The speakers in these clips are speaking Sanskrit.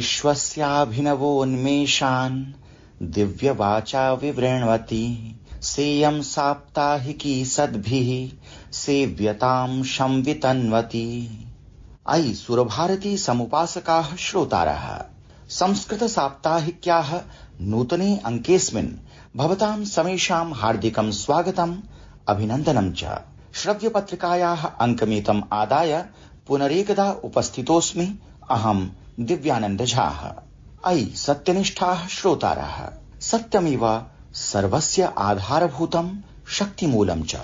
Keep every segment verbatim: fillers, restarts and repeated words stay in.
विश्वस्याभिनवोन्मेषान् दिव्यवाचा विवृण्वति सेयं साप्ताहिकी सद्भिः सेव्यतां संवितन्वति। अयि सुरभारती समुपासकाः श्रोतारः, संस्कृत साप्ताहिक्याः नूतने अंकेऽस्मिन् भवतां समेषां हार्दिकं स्वागतम् अभिनन्दनं च। श्रव्यपत्रिकायाः अंकमेतम् आदाय पुनरेकदा उपस्थितोऽस्मि अहं दिव्यानन्द झाः। अयि सत्यनिष्ठाः श्रोतारः, सत्यमेव सर्वस्य आधारभूतं शक्तिमूलं च।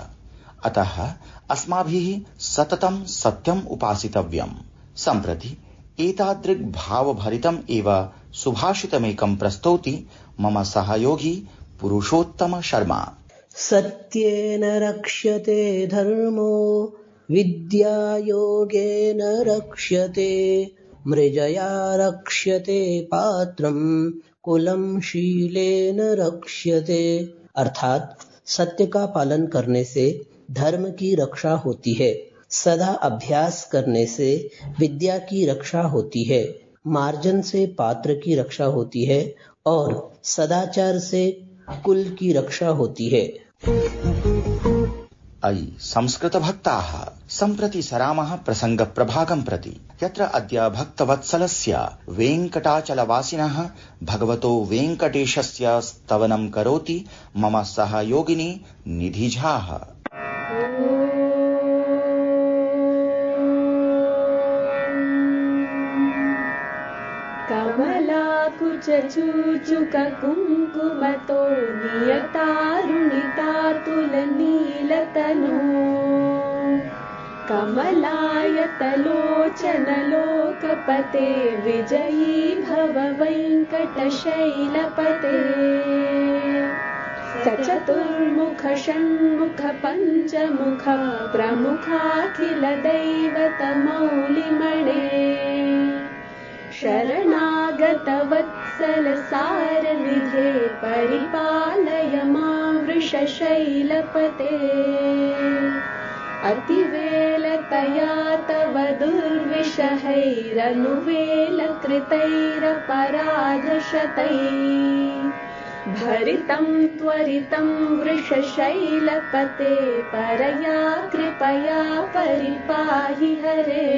अतः अस्माभिः सततं सत्यम् उपासितव्यम्। सम्प्रति एतादृक् भावभरितम् एव सुभाषितमेकं प्रस्तौति मम सहयोगी पुरुषोत्तम शर्मा। सत्येन रक्ष्यते धर्मो विद्यायोगेन रक्ष्यते मृजया रक्ष्यते पात्रं कुलं शीलेन रक्ष्यते। अर्थात सत्य का पालन करने से धर्म की रक्षा होती है, सदा अभ्यास करने से विद्या की रक्षा होती है, मार्जन से पात्र की रक्षा होती है और सदाचार से कुल की रक्षा होती है। अयि संस्कृत भक्ताः, सम्प्रति सरामः प्रसंग प्रभागं प्रति, यत्र अद्य भक्तवत्सलस्य वेङ्कटाचलवासिनः भगवतो वेङ्कटेशस्य स्तवनं करोति मम सहयोगिनी निधि झाः। कमलाकुचूचुक कुङ्कुमतो नियतारुणितातुलनीलतनो कमलायतलोचनलोकपते विजयी भव वेङ्कटशैलपते। सचतुर्मुख षण्मुख पञ्चमुख प्रमुखाखिल दैवतमौलिमणे शरणागत वत्सल सारनिधे परिपालय मां वृषशैलपते। अतिवेलतया तव दुर्विषहैरनुवेलकृतैरपराधशतैः भरितं त्वरितं वृषशैलपते परया कृपया परिपाहि हरे।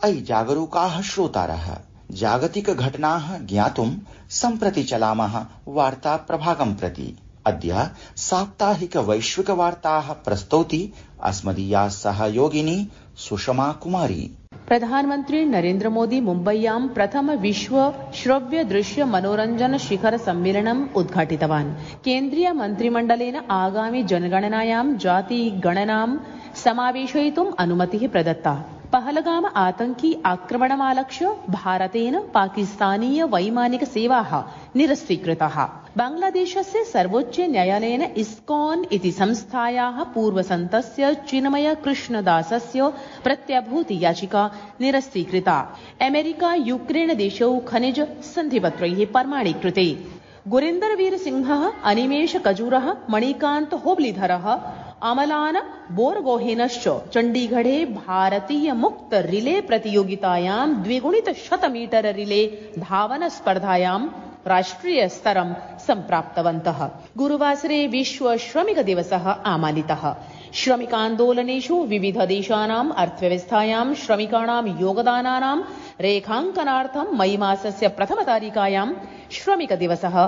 अयि जागरूकाः श्रोतारः, जागतिक घटनाः ज्ञातुं सम्प्रति चलामः वार्ता प्रभागं प्रति। अद्य साप्ताहिक वैश्विक वार्ताः प्रस्तौति अस्मदीया सहयोगिनी सुषमा कुमारी। प्रधानमंत्री नरेंद्र मोदी मुम्बय्यां प्रथम विश्व श्रव्य दृश्य मनोरंजन शिखर सम्मेलनम् उद्घाटितवान्। केन्द्रीय मन्त्रिमण्डलेन आगामि जनगणनायां जाति गणनां समावेशयितुम् अनुमतिः प्रदत्ता। पहलगाम आतंकी आक्रमणमालक्ष्य भारतेन पाकिस्तानीय वैमानिक सेवाः निरस्तीकृताः। बांग्लादेशस्य सर्वोच्च न्यायालयेन इस्कॉन इति संस्थायाः पूर्वसन्तस्य चिन्मय कृष्णदासस्य प्रत्यभूति याचिका निरस्तीकृता। अमेरिका यूक्रेन देशौ खनिज सन्धिपत्रैः प्रमाणीकृते। गुरिन्दरवीर सिंहः, अनिमेष कजूरः, मणिकान्त होबलीधरः, अमलान बोरगोहेनश्च चण्डीगढे भारतीय मुक्त रिले प्रतियोगितायां द्विगुणित शत मीटर रिले धावन स्पर्धायां राष्ट्रिय स्तरं सम्प्राप्तवन्तः। गुरुवासरे विश्व श्रमिक दिवसः आमानितः। श्रमिकान्दोलनेषु विविध देशानाम् अर्थव्यवस्थायां श्रमिकाणां योगदानानां रेखाङ्कनार्थं मई मासस्य प्रथमतारिकायां श्रमिक दिवसः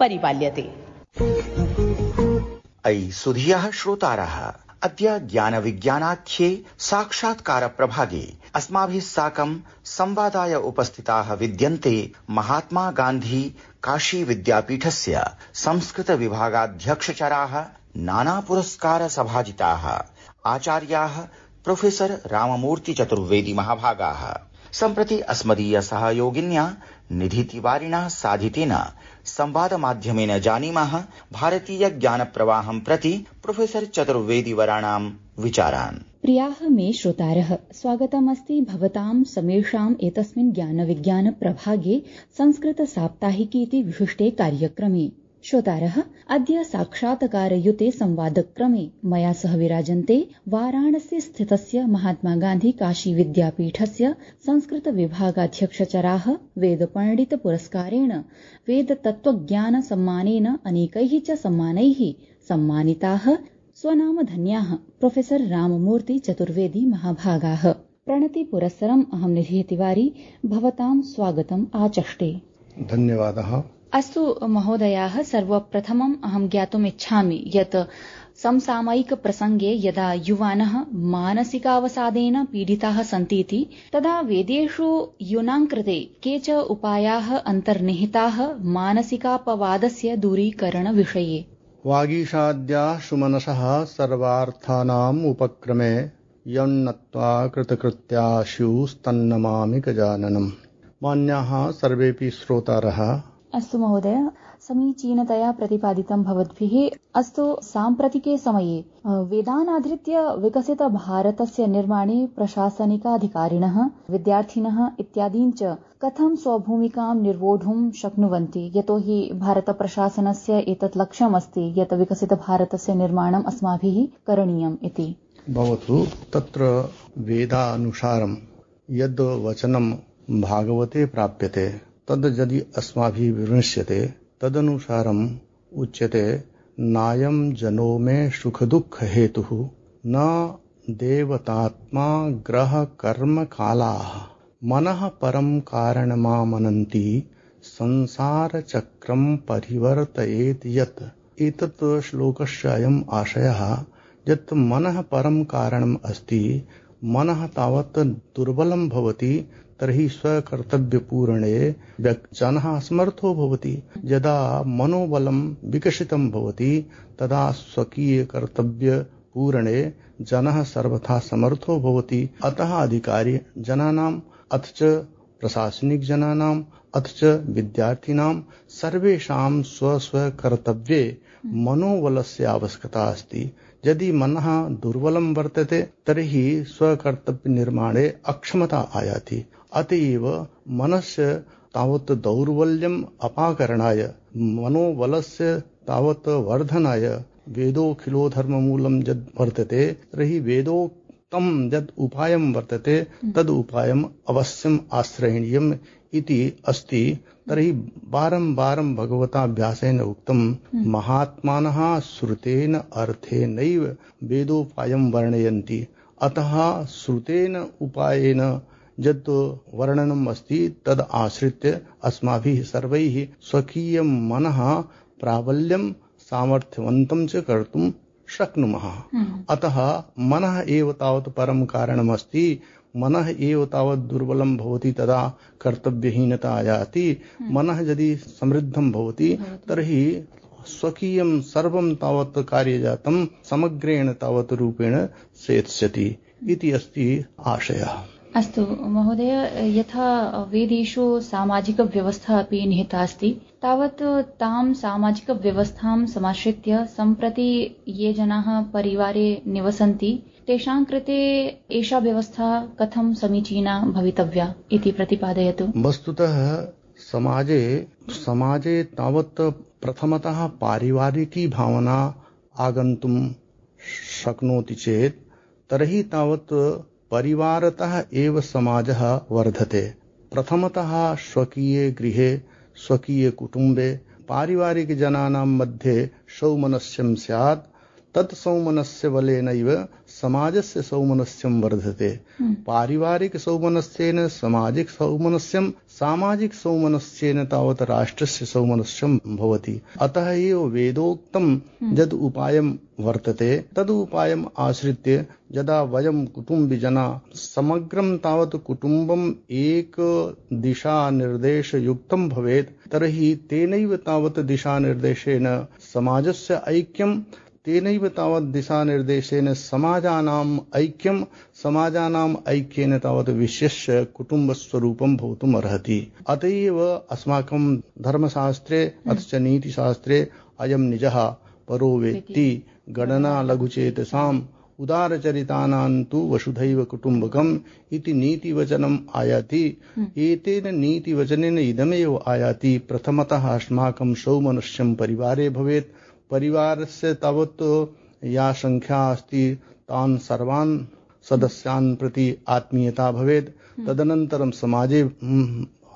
परिपाल्यते। अयि सुधियः श्रोतारः, अद्य ज्ञानविज्ञानाख्ये साक्षात्कार प्रभागे अस्माभिः साकं संवादाय उपस्थिताः विद्यन्ते महात्मा गान्धी काशी विद्यापीठस्य संस्कृत विभागाध्यक्षचराः, नाना पुरस्कार सभाजिताः आचार्याः प्रोफेसर राममूर्ति चतुर्वेदी महाभागाः। सम्प्रति अस्मदीय सहयोगिन्या निधि तिवारिणा साधितेन संवाद माध्यमेन जानीमः भारतीय ज्ञान प्रवाहं प्रति प्रोफेसर चतुर्वेदी वराणां विचारान्। प्रियाः मे श्रोतारः, स्वागतमस्ति भवतां समेषाम् एतस्मिन् ज्ञान विज्ञान प्रभागे संस्कृत साप्ताहिकी इति विशिष्टे कार्यक्रमे। श्रोतारः अद्य साक्षात्कारयुते संवादक्रमे मया सह विराजन्ते वाराणसी स्थितस्य महात्मा गान्धी काशी विद्यापीठस्य संस्कृत विभागाध्यक्षचराः वेदपण्डित पुरस्कारेण वेदतत्त्वज्ञान सम्मानेन अनेकैः च सम्मानैः सम्मानिताः स्वनामधन्याः प्रोफेसर राममूर्ति चतुर्वेदी महाभागाः। प्रणति पुरस्सरम् अहं निधि तिवारी भवतां स्वागतम् आचष्टे। धन्यवादः। अस्तु महोदयाः, सर्वप्रथमम् अहं ज्ञातुम् इच्छामि यत् समसामयिकप्रसङ्गे यदा युवानः मानसिकावसादेन पीडिताः सन्ति इति तदा वेदेषु यूनां कृते के च उपायाः अन्तर्निहिताः मानसिकापवादस्य दूरीकरणविषये। वागीशाद्याः सुमनसः सर्वार्थानाम् उपक्रमे यन्नत्वा कृतकृत्यास्युस्तन्नमामि गजाननम्। मान्याः सर्वेऽपि श्रोतारः। अस्तु महोदय, समीचीनतया प्रतिपादितं भवद्भिः। अस्तु, साम्प्रतिके समये वेदानाधृत्य विकसित भारतस्य निर्माणे प्रशासनिकाधिकारिणः, विद्यार्थिनः इत्यादीन् च कथं स्वभूमिकां निर्वोढुं शक्नुवन्ति, यतोहि भारतप्रशासनस्य एतत् लक्ष्यमस्ति यत् विकसित भारतस्य निर्माणम् अस्माभिः करणीयम् इति। भवतु, तत्र वेदानुसारं यद् वचनं भागवते प्राप्यते तद् यदि अस्माभिः विमृश्यते तदनुसारम् उच्यते नायं जनो मे सुख दुःख हेतुः न देवतात्मा ग्रह कर्म कालाः मनः परं कारणमामनन्ति संसार चक्रं परिवर्तयेत् यत्। एतत् श्लोकस्य अयम् आशयः यत् मनः परं कारणम् अस्ति। मनः तावत् दुर्बलं भवति तर्हि स्वकर्तव्यपूरणे जनः असमर्थो भवति। यदा मनोबलं विकसितं भवति तदा स्वकीयकर्तव्यपूरणे जनः सर्वथा समर्थो भवति। अतः अधिकारी जनानाम् अथ च प्रशासनिकजनानाम् अथ च विद्यार्थिनां सर्वेषां स्वस्वकर्तव्ये मनोबलस्य आवश्यकता अस्ति। यदि मनः दुर्बलं वर्तते तर्हि स्वकर्तव्यनिर्माणे अक्षमता आयाति। अतएव मनस्य तावत् दौर्बल्यम् अपाकरणाय मनोबलस्य तावत् वर्धनाय वेदोऽखिलो धर्ममूलं यद् वर्तते तर्हि वेदोक्तं यद् उपायं वर्तते तद् उपायम् अवश्यम् आश्रयणीयम् इति अस्ति। तर्हि वारं वारं भगवता व्यासेन उक्तं महात्मानः श्रुतेन अर्थेनैव वेदोपायं वर्णयन्ति। अतः श्रुतेन उपायेन यत् वर्णनम् अस्ति तद् आश्रित्य अस्माभिः सर्वैः स्वकीयं मनः प्राबल्यं सामर्थ्यवन्तं च कर्तुं शक्नुमः। अतः मनः एव तावत् परं कारणमस्ति। मनः एव तावत् दुर्बलं भवति तदा कर्तव्यहीनता आयाति। मनः यदि समृद्धं भवति तर्हि स्वकीयं सर्वं तावत् कार्यजातं समग्रेण तावत् रूपेण सेत्स्यति इति अस्ति आशयः। अस्तु महोदय, यथा वेदेषु सामाजिकव्यवस्था अपि निहिता अस्ति, तावत् तां सामाजिकव्यवस्थां समाश्रित्य सम्प्रति ये जनाः परिवारे निवसन्ति तेषां कृते एषा व्यवस्था कथं समीचीना भवितव्या इति प्रतिपादयतु। वस्तुतः समाजे समाजे तावत् प्रथमतः पारिवारिकी भावना आगन्तुं शक्नोति चेत् तर्हि तावत् परिवारतः एव समाजः वर्धते। प्रथमतः स्वकीये गृहे स्वकीये कुटुम्बे पारिवारिकजनानां मध्ये सौमनस्यं स्यात्। तत् सौमनस्य बलेनैव समाजस्य सौमनस्यं वर्धते। पारिवारिक सौमनस्येन सामाजिक सौमनस्यं, सामाजिक सौमनस्येन तावत् राष्ट्रस्य सौमनस्यं भवति। अतः एव वेदोक्तं यद् उपायं वर्तते तद् उपायम् आश्रित्य यदा वयं कुटुम्बिजना समग्रं तावत् कुटुम्बम् एक दिशानिर्देशयुक्तं भवेत् तर्हि तेनैव तावत् दिशानिर्देशेन समाजस्य ऐक्यं, तेनैव तावत् दिशानिर्देशेन समाजानाम् ऐक्यं, समाजानाम् ऐक्येन तावत् विशेष्य कुटुम्बस्वरूपं भवितुम् अर्हति। अत एव अस्माकं धर्मशास्त्रे अथ च नीतिशास्त्रे अयं निजः परो वेत्ति गणना लघुचेतसाम् उदारचरितानां तु वसुधैव कुटुम्बकम् इति नीतिवचनम् आयाति। एतेन नीतिवचनेन इदमेव आयाति प्रथमतः अस्माकं सौमनस्यं परिवारे भवेत्। परिवारस्य तावत् या संख्या अस्ति तान् सर्वान् सदस्यान् प्रति आत्मीयता भवेत्। तदनन्तरं समाजे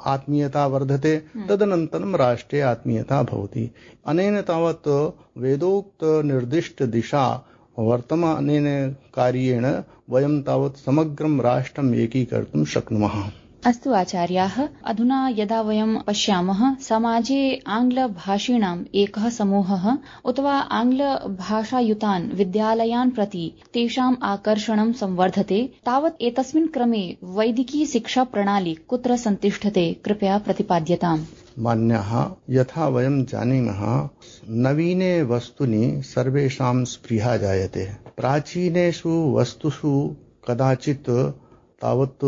आत्मीयता वर्धते, तदनन्तरं राष्ट्रे आत्मीयता भवति। अनेन तावत् वेदोक्त निर्दिष्ट दिशा वर्तमानेन कार्येण वयं तावत् समग्रं राष्ट्रम् एकीकर्तुं शक्नुमः। अस्तु आचार्याः, अधुना यदा वयं पश्यामः समाजे आङ्ग्लभाषिणाम् एकः समूहः अथवा आङ्ग्लभाषायुतान् विद्यालयान् प्रति तेषाम् आकर्षणं संवर्धते, तावत् एतस्मिन् क्रमे वैदिकी शिक्षा प्रणाली कुत्र सन्तिष्ठते, कृपया प्रतिपाद्यताम्। मान्याः, यथा वयं जानीमः नवीने वस्तुनि सर्वेषां स्पृहा जायते। प्राचीनेषु वस्तुषु कदाचित् तावत्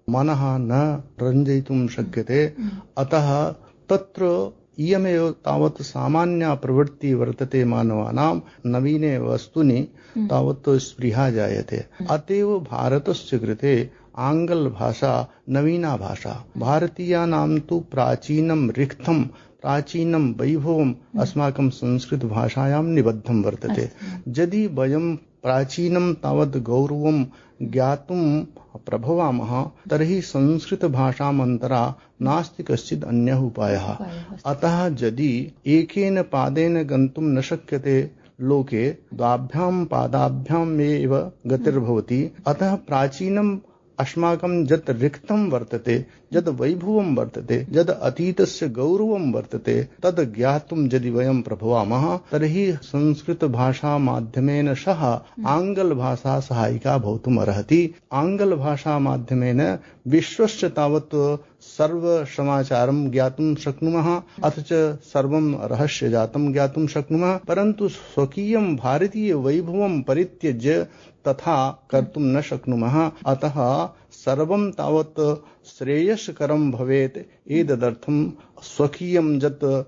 मनः न रञ्जयितुं शक्यते। अतः तत्र इयमेव तावत् सामान्या प्रवृत्ति वर्तते मानवानां नवीने वस्तुनि तावत् स्पृहा जायते। अतएव भारतस्य कृते आङ्ग्लभाषा नवीना भाषा। भारतीयानां तु प्राचीनं रिक्थं प्राचीनं वैभवम् अस्माकं संस्कृतभाषायां निबद्धं वर्तते। यदि वयं प्राचीनं तावत् गौरवं ज्ञातुं प्रभवामः तर्हि संस्कृतभाषामन्तरा नास्ति कश्चित् अन्यः उपायः। अतः यदि एकेन पादेन गन्तुं न शक्यते लोके, द्वाभ्यां पादाभ्याम् एव गतिर्भवति। अतः प्राचीनम् अस्माकं यत् रिक्तं वर्तते, यद् वैभवं वर्तते, यद् अतीतस्य गौरवं वर्तते, तद् ज्ञातुं यदि वयं प्रभवामः तर्हि संस्कृतभाषा माध्यमेन सह आङ्ग्लभाषा सहायिका भवितुम् अर्हति। आङ्ग्लभाषा माध्यमेन विश्वस्य तावत् सर्वसमाचारं ज्ञातुं शक्नुमः, अथ च सर्वं रहस्यजातं ज्ञातुं शक्नुमः। परन्तु स्वकीयं भारतीय वैभवं परित्यज्य तथा कर्तुं न शक्नुमः। अतः सर्वं तावत् श्रेयस्करं भवेत्। एतदर्थं स्वकीयं यत्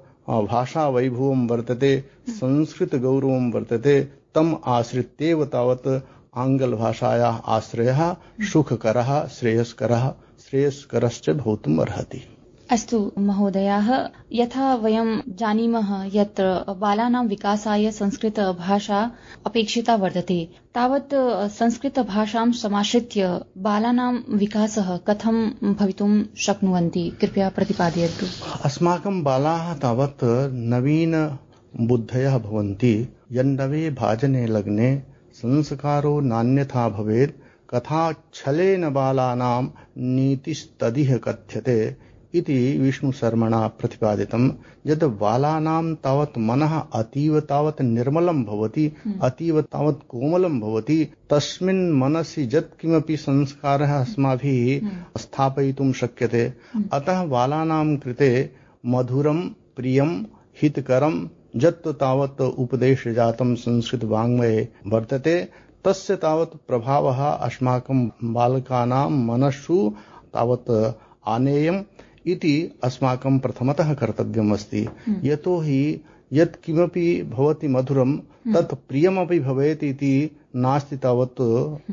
भाषा वैभवं वर्तते, संस्कृत गौरवं वर्तते, तम् आश्रित्येव तावत् आङ्ग्लभाषायाः आश्रयः सुखकरः, श्रेयस्करः श्रेयस्करश्च भवितुम् अर्हति। अस्तु महोदयाः, यथा वयं जानीमः यत्र बालानां विकासाय संस्कृतभाषा अपेक्षिता वर्तते, तावत् संस्कृतभाषां समाश्रित्य बालानां विकासः कथं भवितुं शक्नुवन्ति, कृपया प्रतिपादयतु। अस्माकं बालाः तावत् नवीन बुद्धयः भवन्ति। यन्नवे भाजने लग्ने संस्कारो नान्यथा भवेत्, कथा छलेन बालानां नीतिस्तदिह कथ्यते इति विष्णुशर्मणा प्रतिपादितं। यद् बालानां तावत् मनः अतीव तावत् निर्मलं भवति, अतीव तावत् कोमलं भवति, तस्मिन् मनसि यत् किमपि संस्कारः अस्माभिः स्थापयितुं शक्यते। अतः बालानां कृते मधुरं, प्रियं, हितकरं यत् तावत् उपदेशजातं संस्कृतवाङ्मये वर्तते, तस्य तावत् प्रभावः अस्माकं बालकानां मनस्सु तावत् आनेयम् इति अस्माकं प्रथमतः कर्तव्यम् अस्ति। यतोहि यत् किमपि भवति मधुरं तत् प्रियमपि भवेत् इति नास्ति तावत्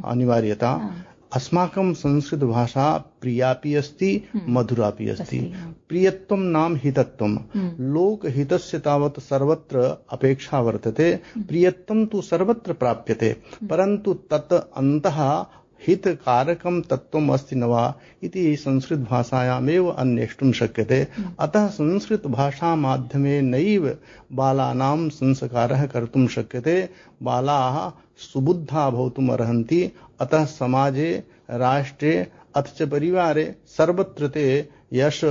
अनिवार्यता। अस्माकं संस्कृतभाषा प्रियापि अस्ति, मधुरापि अस्ति। प्रियत्वं नाम हितत्वं। लोकहितस्य तावत् सर्वत्र अपेक्षा वर्तते। प्रियत्वं तु सर्वत्र प्राप्यते, परन्तु तत् अन्तः हितकारकं तत्त्वम् अस्ति न वा इति संस्कृतभाषायामेव अन्वेष्टुं शक्यते। अतः संस्कृतभाषामाध्यमेनैव बालानां संस्कारः कर्तुं शक्यते। बालाः सुबुद्धा भवितुम् अर्हन्ति। अतः समाजे, राष्ट्रे अथ च परिवारे सर्वत्र ते यश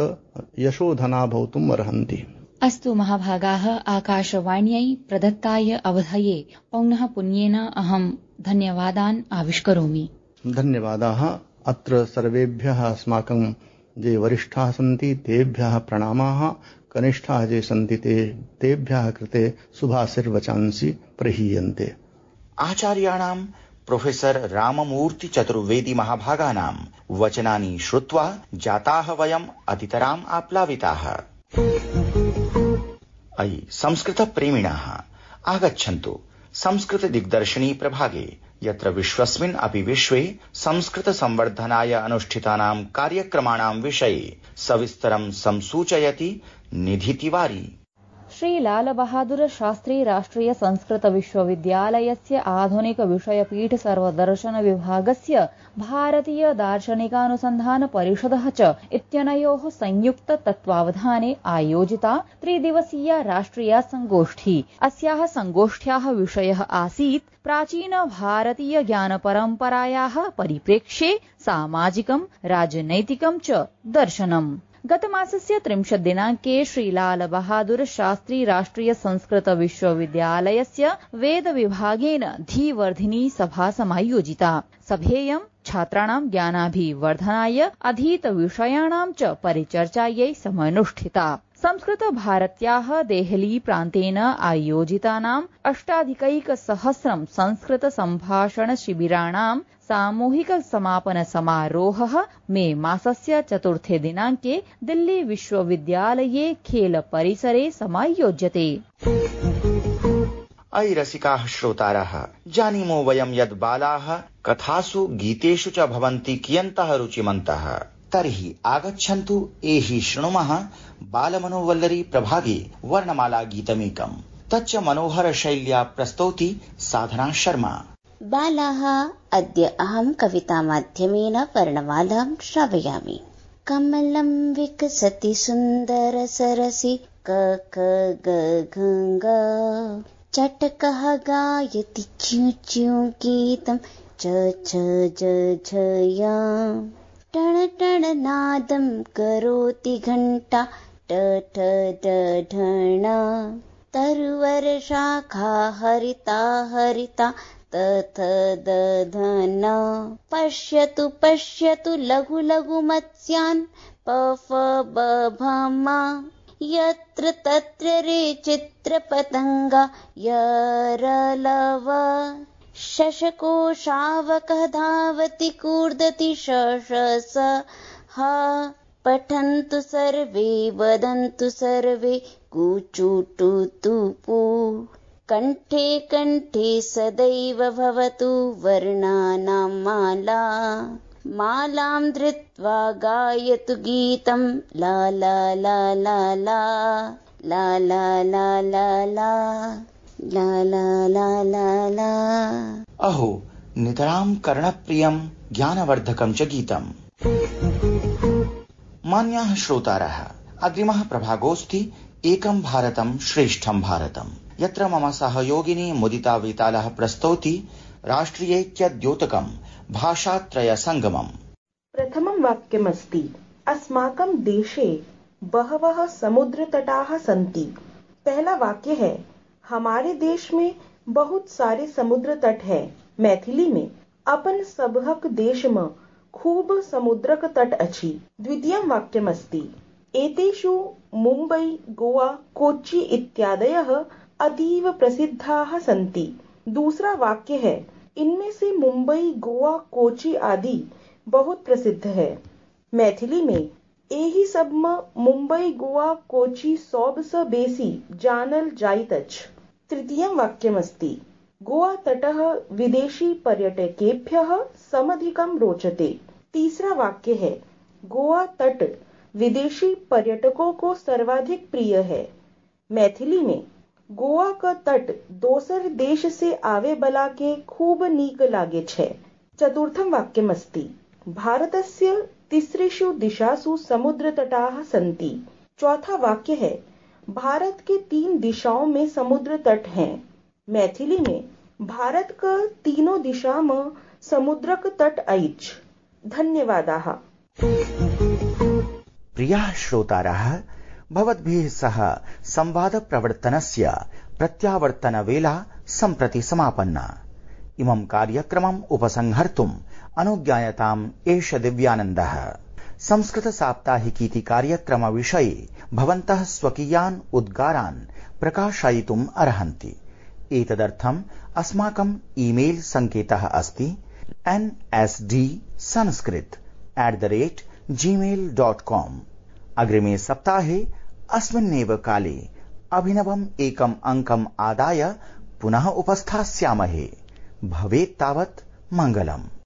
यशोधना भवितुम् अर्हन्ति। अस्तु महाभागाः, आकाशवाण्यै प्रदत्ताय अवधये पौनः पुन्येन अहं धन्यवादान् आविष्करोमि। धन्यवादाः। अत्र सर्वेभ्यः अस्माकं ये वरिष्ठाः सन्ति तेभ्यः प्रणामाः, कनिष्ठाः ये सन्ति ते तेभ्यः कृते शुभाशीर्वचांसि प्रहीयन्ते। आचार्याणां प्रोफेसर राममूर्ति चतुर्वेदी महाभागानां वचनानि श्रुत्वा जाताः वयम् अतितराम् आप्लाविताः। अयि संस्कृतप्रेमिणः, आगच्छन्तु संस्कृत दिग्दर्शिनी प्रभागे, यत्र विश्वस्मिन् अपि विश्वे संस्कृत संवर्धनाय अनुष्ठितानां कार्यक्रमाणां विषये सविस्तरं संसूचयति निधि तिवारी। श्री लाल बहादुर शास्त्री राष्ट्रिय संस्कृत विश्वविद्यालयस्य आधुनिक विषयपीठ सर्वदर्शन विभागस्य भारतीय दार्शनिकानुसन्धान परिषदः च इत्यनयोः संयुक्त तत्त्वावधाने आयोजिता त्रिदिवसीया राष्ट्रिया संगोष्ठी। अस्याः संगोष्ठ्याः विषयः आसीत् प्राचीन भारतीय ज्ञानपरम्परायाः परिप्रेक्ष्ये सामाजिकं राजनैतिकं च दर्शनम्। गतमासस्य त्रिंशत् दिनाङ्के श्रीलाल बहादुर शास्त्री राष्ट्रिय संस्कृत विश्वविद्यालयस्य वेद विभागेन धीवर्धिनी सभा समायोजिता। सभेयं छात्राणां ज्ञानाभिवर्धनाय अधीत विषयाणां च परिचर्चायै समनुष्ठिता। संस्कृत भारत्याः देहली प्रान्तेन आयोजितानाम् अष्टाधिकैकसहस्रं संस्कृत सम्भाषण शिबिराणां सामूहिक समापन समारोहः मे मासस्य चतुर्थे दिनाङ्के दिल्ली विश्वविद्यालये खेल परिसरे समायोज्यते। अयि रसिकाः श्रोतारः, जानीमो वयं यद् बालाः कथासु गीतेषु च भवन्ति कियन्तः रुचिमन्तः। तर्हि आगच्छन्तु एहि शृणुमः बालमनोवल्लरी प्रभागे वर्णमाला गीतमेकम्। तच्च मनोहर शैल्या प्रस्तौति साधना शर्मा। बालाः, अद्य अहं कवितामाध्यमेन वर्णमालां श्रावयामि। कमलं विकसति सुन्दर सरसि क क ग घ ग, चटकः गायति च्यू च्यू गीतं च छ ज झ या, टण टण नादं करोति घण्टा ट ठ ड ढण, तरुवर शाखा हरिता हरिता तथ दधन, पश्यतु पश्यतु लघु लघु मत्स्यान् पफ बभम, यत्र तत्र रे चित्रपतंगा यरलव, शशको शावकः धावति कूर्दति शशस हा, पठन्तु सर्वे वदन्तु सर्वे कूचुटुतुपु, कण्ठे कण्ठे सदैव भवतु वर्णानां माला, मालां धृत्वा गायतु गीतं ला ला ला ला ला ला ला ला ला ला ला ला ला ला ला। अहो, नितरां कर्णप्रियं ज्ञानवर्धकं च गीतम्। मान्याः श्रोतारः, अग्रिमः प्रभागोऽस्ति एकं भारतं श्रेष्ठं भारतम्, यत्र मम सहयोगिनी मुदिता वेतालः प्रस्तौति राष्ट्रियैक्यद्योतकं भाषात्रय संगमम्। प्रथमं वाक्यमस्ति, अस्माकं देशे बहवः समुद्रतटाः सन्ति। पहला वाक्य है, हमारे देश में बहुत सारे समुद्र तट है। मैथिली में अपन सबहक देश में खूब समुद्रक तट अछि। द्वितीयं वाक्यमस्ति, एतेषु मुम्बै, गोवा, कोच्चि इत्यादयः अतीव प्रसिद्धाः सन्ति। दूसरा वाक्य है, इनमें से मुंबई, गोवा, कोच्चि आदि बहुत प्रसिद्ध है। मैथिली में एहि सब में मुंबई, गोवा, कोच्चि सबसँ बेसी जानल जाइत अछि। तृतीयं वाक्यमस्ति, गोवा तटः विदेशी पर्यटकेभ्यः समधिकं रोचते। तीसरा वाक्य है, गोवा तट विदेशी पर्यटकों को सर्वाधिक प्रिय है। मैथिली में गोवा का तट दोसर देश से आवे बला के खूब नीक लागे छे। चतुर्थं वाक्यमस्ति, भारतस्य तिसृषु दिशासु समुद्र तटाः सन्ति। चौथा वाक्य है, भारत के तीन दिशाओं में समुद्र तट हैं। मैथिली में भारत का तीनों दिशा में समुद्रक तट अछि। धन्यवादाः। प्रियाः श्रोतारः, भवद्भिः सह संवाद प्रवर्तनस्य प्रत्यावर्तनवेला सम्प्रति समापन्ना। इमं कार्यक्रमम् उपसंहर्तुम् अनुज्ञायताम् एष दिव्यानन्दः। संस्कृत साप्ताहिकीति कार्यक्रम विषये भवन्तः स्वकीयान् उद्गारान् प्रकाशयितुम् अर्हन्ति। एतदर्थम् अस्माकम् ईमेल सङ्केतः अस्ति N S D Sanskrit at the rate Gmail dot com. अग्रिमे सप्ताहे अस्मिन्नेव काले अभिनवम् एकम् अङ्कम् आदाय पुनः उपस्थास्यामहे। भवेत् तावत् मङ्गलम्।